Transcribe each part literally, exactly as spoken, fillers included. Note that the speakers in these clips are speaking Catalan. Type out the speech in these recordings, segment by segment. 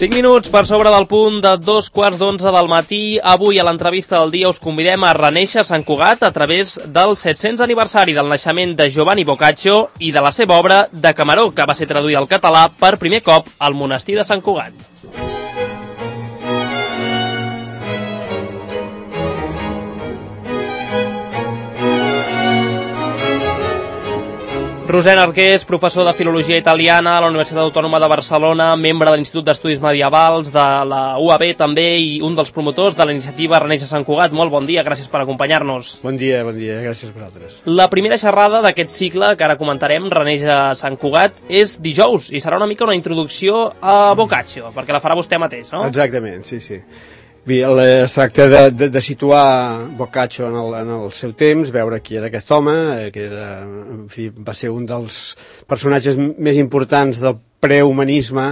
cinc minuts per sobre del punt de dos quarts d'onze del matí. Avui a l'entrevista del dia us convidem a renéixer Sant Cugat a través del set-cents aniversari del naixement de Giovanni Boccaccio i de la seva obra de Camaró, que va ser traduïda al català per primer cop al monestir de Sant Cugat. Roser Arqués, professor de Filologia Italiana a la Universitat Autònoma de Barcelona, membre de l'Institut d'Estudis Medievals de la U A B també i un dels promotors de la iniciativa Renéixer Sant Cugat. Molt bon dia, gràcies per acompanyar-nos. Bon dia, bon dia, gràcies a vosaltres. La primera xerrada d'aquest cicle que ara comentarem, Renéixer Sant Cugat, és dijous i serà una mica una introducció a Boccaccio, perquè la farà vostè mateix, no? Exactament, sí, sí. Bé, es tracta de, de, de situar Boccaccio en el, en el seu temps, veure qui era aquest home, que era, en fi, va ser un dels personatges més importants del prehumanisme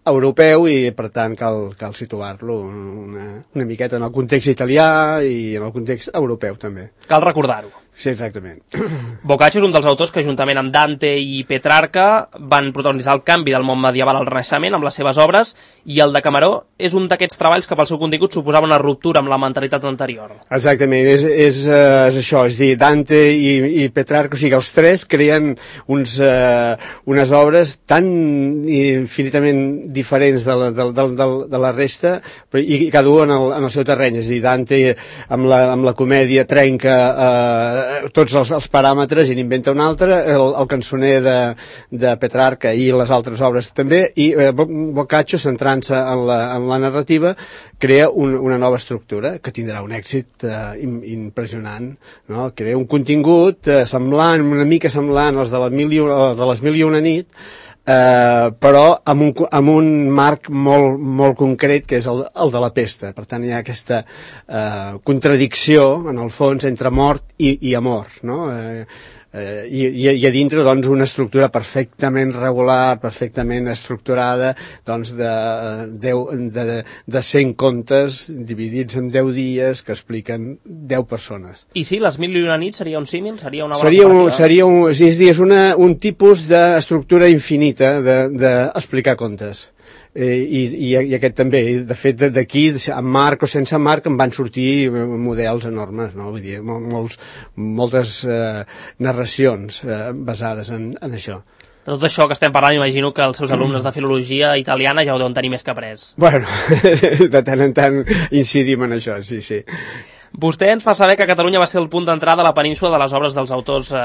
europeu i, per tant, cal, cal situar-lo una, una miqueta en el context italià i en el context europeu, també. Cal recordar-ho. Sí, exactament. Boccaccio és un dels autors que, juntament amb Dante i Petrarca, van protagonitzar el canvi del món medieval al Renaixement amb les seves obres, i el de Camaró és un d'aquests treballs que pel seu contingut suposava una ruptura amb la mentalitat anterior. Exactament, és, és, és això, és dir, Dante i, i Petrarca, o sigui, els tres creen uns, uh, unes obres tan infinitament diferents de la, de, de, de, de la resta, però, i cada un en el, en el seu terreny. És a dir, Dante amb la, amb la comèdia trenca uh, tots els, els paràmetres i n'inventa un altre, el, el cançoner de, de Petrarca i les altres obres també, i eh, Boccaccio, centrant-se en, la, en la narrativa, crea un, una nova estructura que tindrà un èxit eh, impressionant, no? Crea un contingut eh, semblant, una mica semblant als de, la mil i una, de les Mil i una nit, Uh, però amb un, amb un marc molt, molt concret, que és el, el de la pesta. Per tant, hi ha aquesta uh, contradicció, en el fons, entre mort i, i amor, no? Uh, Uh, i, i a dintre, doncs, una estructura perfectament regular, perfectament estructurada, doncs, de, deu, de, de cent contes dividits en deu dies que expliquen deu persones. I sí, les Mil i una nits seria un símil? Seria una bona seria un, seria un, és dir, és una, un tipus d'estructura infinita d'explicar de, contes. Eh, i, i, i aquest també, de fet d'aquí amb marc o sense marc en van sortir models enormes, no? Vull dir, molts, moltes eh, narracions eh, basades en, en això. De tot això que estem parlant, imagino que els seus alumnes de filologia italiana ja ho deuen tenir més que après. Bueno, de tant en tant incidim en això, sí, sí. Vostè ens fa saber que Catalunya va ser el punt d'entrada de la península de les obres dels autors eh,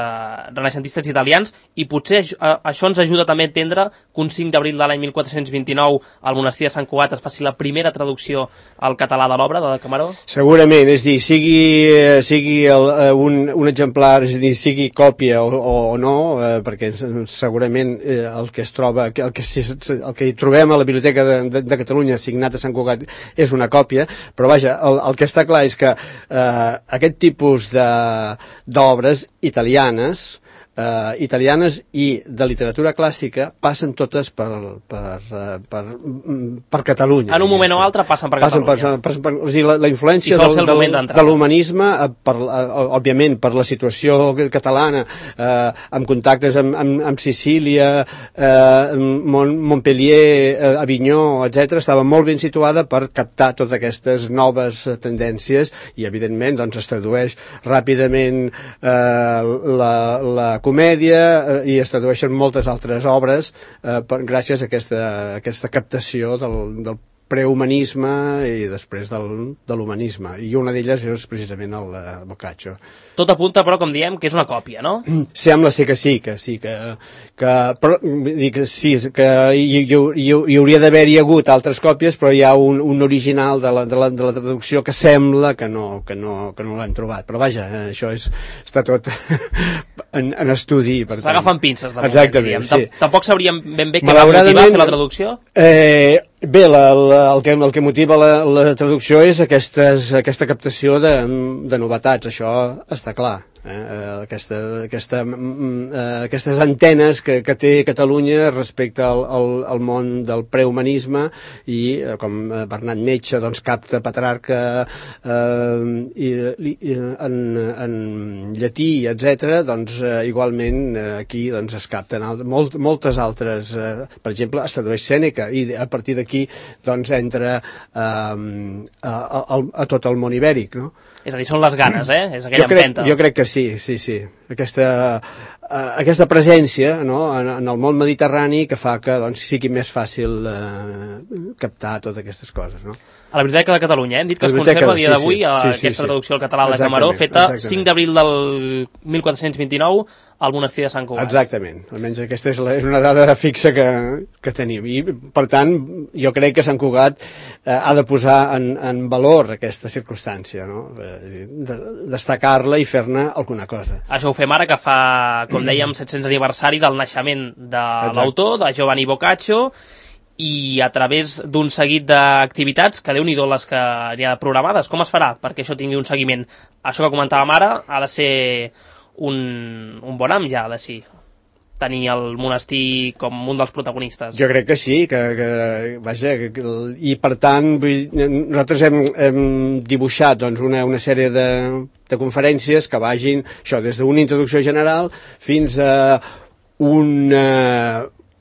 renaixentistes italians, i potser eh, això ens ajuda també a entendre que un cinc d'abril de l'any mil quatre-cents vint-i-nou al monestir de Sant Cugat es faci la primera traducció al català de l'obra de Camaró? Segurament, és dir, sigui, sigui el, un, un exemplar, és a dir, sigui còpia o, o no, eh, perquè segurament eh, el que es troba, el que, el que hi trobem a la Biblioteca de, de, de Catalunya signat a Sant Cugat és una còpia, però vaja, el, el que està clar és que Uh, aquest tipus d'obres italianes Uh, italianes i de literatura clàssica passen totes per, per, uh, per, per Catalunya. En un moment o altre passen per passen Catalunya. Per, per, per, o sigui, la, la influència del, del, de l'humanisme, uh, òbviament per la situació catalana, uh, amb contactes amb, amb, amb Sicília, uh, Mont, Montpellier, uh, Avinyó, etcètera, estava molt ben situada per captar totes aquestes noves tendències i, evidentment, doncs, es tradueix ràpidament uh, la, la comèdia eh, i es tradueixen moltes altres obres eh, per, gràcies a aquesta, a aquesta captació del, del prehumanisme i després del, de l'humanisme, i una d'elles és precisament el de Boccaccio. Tot apunta, però, com diem, que és una còpia, no? Sembla ser que sí, que sí, que, que, però, dic, sí, que hi, hi, hi, hi hauria d'haver-hi hagut altres còpies, però hi ha un, un original de la, de, la, de la traducció que sembla que no, que no, que no l'hem trobat, però vaja, eh, això és, està tot en, en estudi. S'agafen pinces, de moment. Exactament, sí. Tampoc sabríem ben bé què va motivar fer la traducció? Eh, bé, la, la, el, que, el que motiva la, la traducció és aquestes, aquesta captació de, de novetats, això està clar. eh? Aquesta, aquesta, aquestes antenes que, que té Catalunya respecte al, al, al món del prehumanisme i, com Bernat Metge doncs, capta Petrarca eh, i, i, en, en llatí, etcètera, doncs eh, igualment eh, aquí doncs, es capten alt, molt, moltes altres, eh, per exemple, es tradueix Sèneca i a partir d'aquí doncs, entra eh, a, a, a tot el món ibèric, no? És a dir, són les ganes, eh? És aquella jo crec, empenta. Jo crec que sí, sí, sí. Aquesta, uh, aquesta presència, no? en, en el món mediterrani que fa que doncs, sigui més fàcil uh, captar totes aquestes coses, no? A la Biblioteca de Catalunya, eh? Hem dit que es conserva a dia d'avui sí, sí. sí, sí, aquesta sí. traducció al català de Camaró, feta exactament. cinc d'abril del mil quatre-cents vint-i-nou al monestir de Sant Cugat. Exactament, almenys aquesta és, la, és una dada fixa que, que tenim i per tant jo crec que Sant Cugat eh, ha de posar en, en valor aquesta circumstància, no? De, destacar-la i fer-ne alguna cosa. Això ho fem ara que fa, com dèiem, set-cents aniversari del naixement de l'autor, de Giovanni Boccaccio, i a través d'un seguit d'activitats, que Déu-n'hi-do les que n'hi ha programades, com es farà perquè això tingui un seguiment? Això que comentàvem ara ha de ser un, un bon am ja, ha de ser tenir el monestir com un dels protagonistes. Jo crec que sí, que, que vaja, que, que, i per tant vull, nosaltres hem, hem dibuixat doncs, una, una sèrie de, de conferències que vagin això, des d'una introducció general fins a una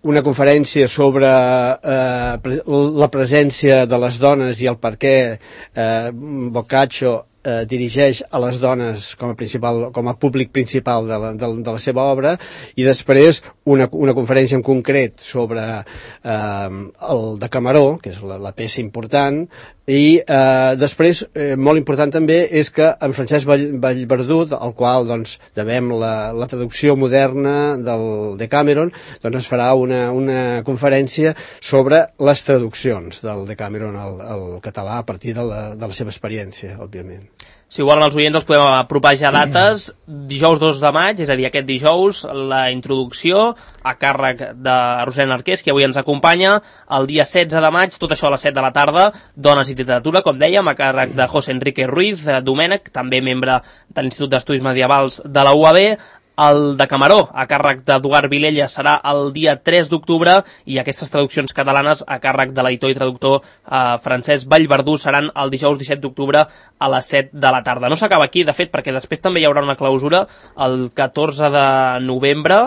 una conferència sobre eh, la presència de les dones i el per què eh, Boccaccio eh, dirigeix a les dones com a, principal, com a públic principal de la, de, de la seva obra, i després una, una conferència en concret sobre eh, el de Camaró, que és la, la peça important, i eh, després, eh, molt important també, és que en Francesc Vall, Vallverdú, al qual doncs, devem la, la traducció moderna del Decameron, doncs es farà una, una conferència sobre les traduccions del Decameron al, al català a partir de la, de la seva experiència, òbviament. Si ho volen els oients, els podem apropar ja dates. Dijous dos de maig, és a dir, aquest dijous, la introducció a càrrec de Rosena Arqués, que avui ens acompanya. El dia setze de maig, tot això a les set de la tarda, Dones i literatura, com dèiem, a càrrec de José Enrique Ruiz Domènech, també membre de l'Institut d'Estudis Medievals de la U A B. El de Camaró, a càrrec d'Eduard Vilella, serà el dia tres d'octubre, i aquestes traduccions catalanes a càrrec de l'editor i traductor eh, Francesc Vallverdú seran el dijous disset d'octubre a les set de la tarda. No s'acaba aquí, de fet, perquè després també hi haurà una clausura el catorze de novembre,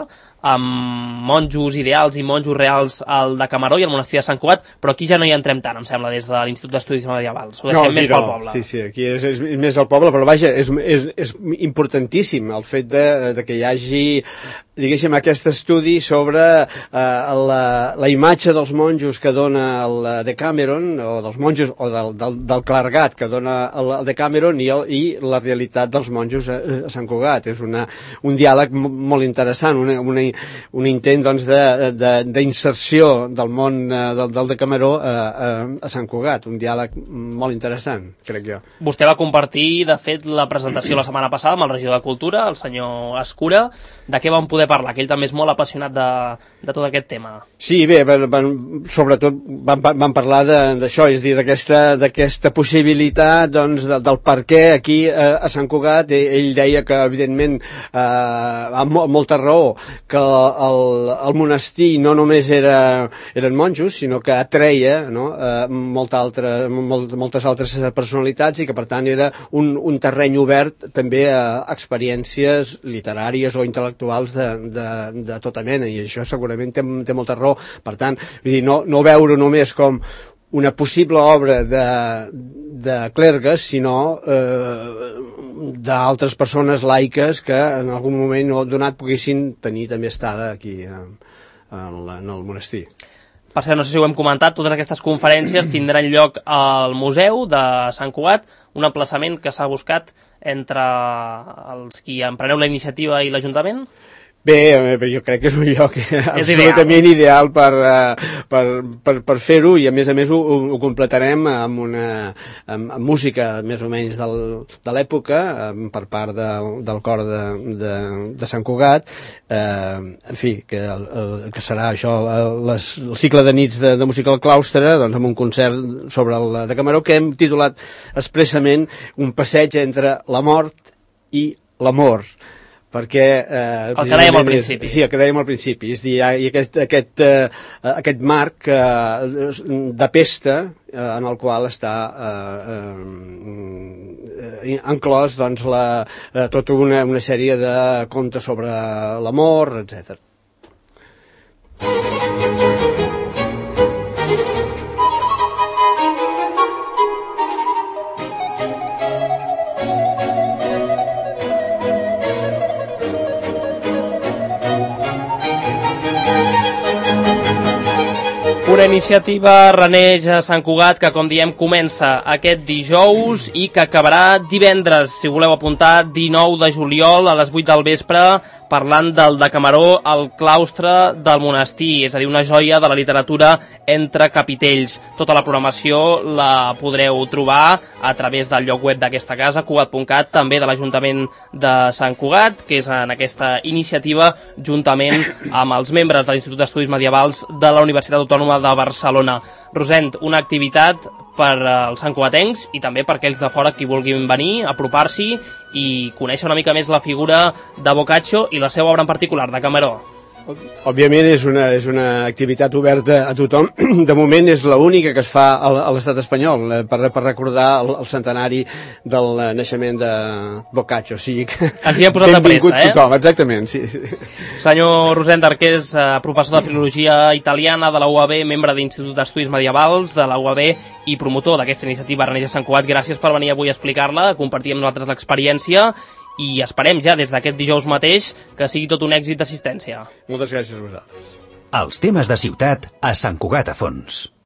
amb monjos ideals i monjos reals al de Camaró i al monestir de Sant Cugat, però aquí ja no hi entrem tant, em sembla, des de l'Institut d'Estudis Medievals. Ho deixem no, més no. pel poble. Sí, sí, aquí és, és més al poble, però vaja, és, és, és importantíssim el fet de, de que hi hagi, diguéssim, aquest estudi sobre eh, la, la imatge dels monjos que dona el Decameron, o dels monjos, o del, del, del clergat que dona el Decameron, i, el, i la realitat dels monjos a, a Sant Cugat. És una, un diàleg molt interessant, una, una un intent doncs, d'inserció de, de del món eh, del, del Decameró a, a, a Sant Cugat, un diàleg molt interessant, crec jo. Vostè va compartir, de fet, la presentació la setmana passada amb el regidor de Cultura, el senyor Escura. De què vam poder parlar? Que ell també és molt apassionat de, de tot aquest tema. Sí, bé, van, van, sobretot van, van parlar d'això, és a dir, d'aquesta possibilitat doncs, de, del per què aquí eh, a Sant Cugat. Ell deia que, evidentment, eh, amb molta raó, que el, el monestir no només era, eren monjos, sinó que atreia, no, eh, molta altra, molt, moltes altres personalitats, i que per tant era un, un terreny obert també a experiències literàries o intel·lectuals de, de, de tota mena, i això segurament té, té molta raó. Per tant, vull dir, no, no veure només com una possible obra de, de clergues, sinó eh, d'altres persones laiques que en algun moment donat poguessin tenir també estada aquí en, en, en el monestir. Per cert, no sé si ho hem comentat, totes aquestes conferències tindran lloc al Museu de Sant Cugat, un emplaçament que s'ha buscat entre els qui empreneu la iniciativa i l'Ajuntament? Bé, jo crec que és un lloc absolutament ideal, ideal per, per, per, per fer-ho, i a més a més ho, ho completarem amb una amb, amb música més o menys del, de l'època per part de, del cor de, de, de Sant Cugat, eh, en fi, que, el, que serà això, les, el cicle de nits de, de música al claustre, doncs amb un concert sobre el de Camaró que hem titulat expressament Un passeig entre la mort i l'amor, perquè... Eh, el que dèiem al principi. És, sí, el que dèiem al principi. És dir, hi ha aquest, aquest, eh, aquest marc eh, de pesta eh, en el qual està eh, eh, enclòs doncs, la, eh, tota una, una sèrie de contes sobre l'amor, etcètera. Una iniciativa reneix a Sant Cugat que, com diem, comença aquest dijous i que acabarà divendres, si voleu apuntar, dinou de juliol a les vuit del vespre, parlant del Decameró al claustre del monestir, és a dir, una joia de la literatura entre capitells. Tota la programació la podreu trobar a través del lloc web d'aquesta casa, cugat punt cat, també de l'Ajuntament de Sant Cugat, que és en aquesta iniciativa, juntament amb els membres de l'Institut d'Estudis Medievals de la Universitat Autònoma de Barcelona. Rosent, una activitat per als santcugatencs i també per aquells de fora que vulguin venir, apropar-s'hi i conèixer una mica més la figura de Boccaccio i la seva obra en particular, Decameró. Òbviament és una, és una activitat oberta a tothom. De moment és l'única que es fa a l'estat espanyol per, per recordar el, el centenari del naixement de Boccaccio. O sigui que ens hi hem posat de pressa, eh? Tothom, exactament, sí, sí. Senyor Rosent Arqués, professor de Filologia Italiana de la U A B, membre de l'Institut d'Estudis Medievals de la U A B i promotor d'aquesta iniciativa Reneix a Sant Cugat, gràcies per venir avui a explicar-la, a compartir amb nosaltres l'experiència i esperem ja des d'aquest dijous mateix que sigui tot un èxit d'assistència. Moltes gràcies a vosaltres. Els temes de ciutat a Sant Cugat a fons.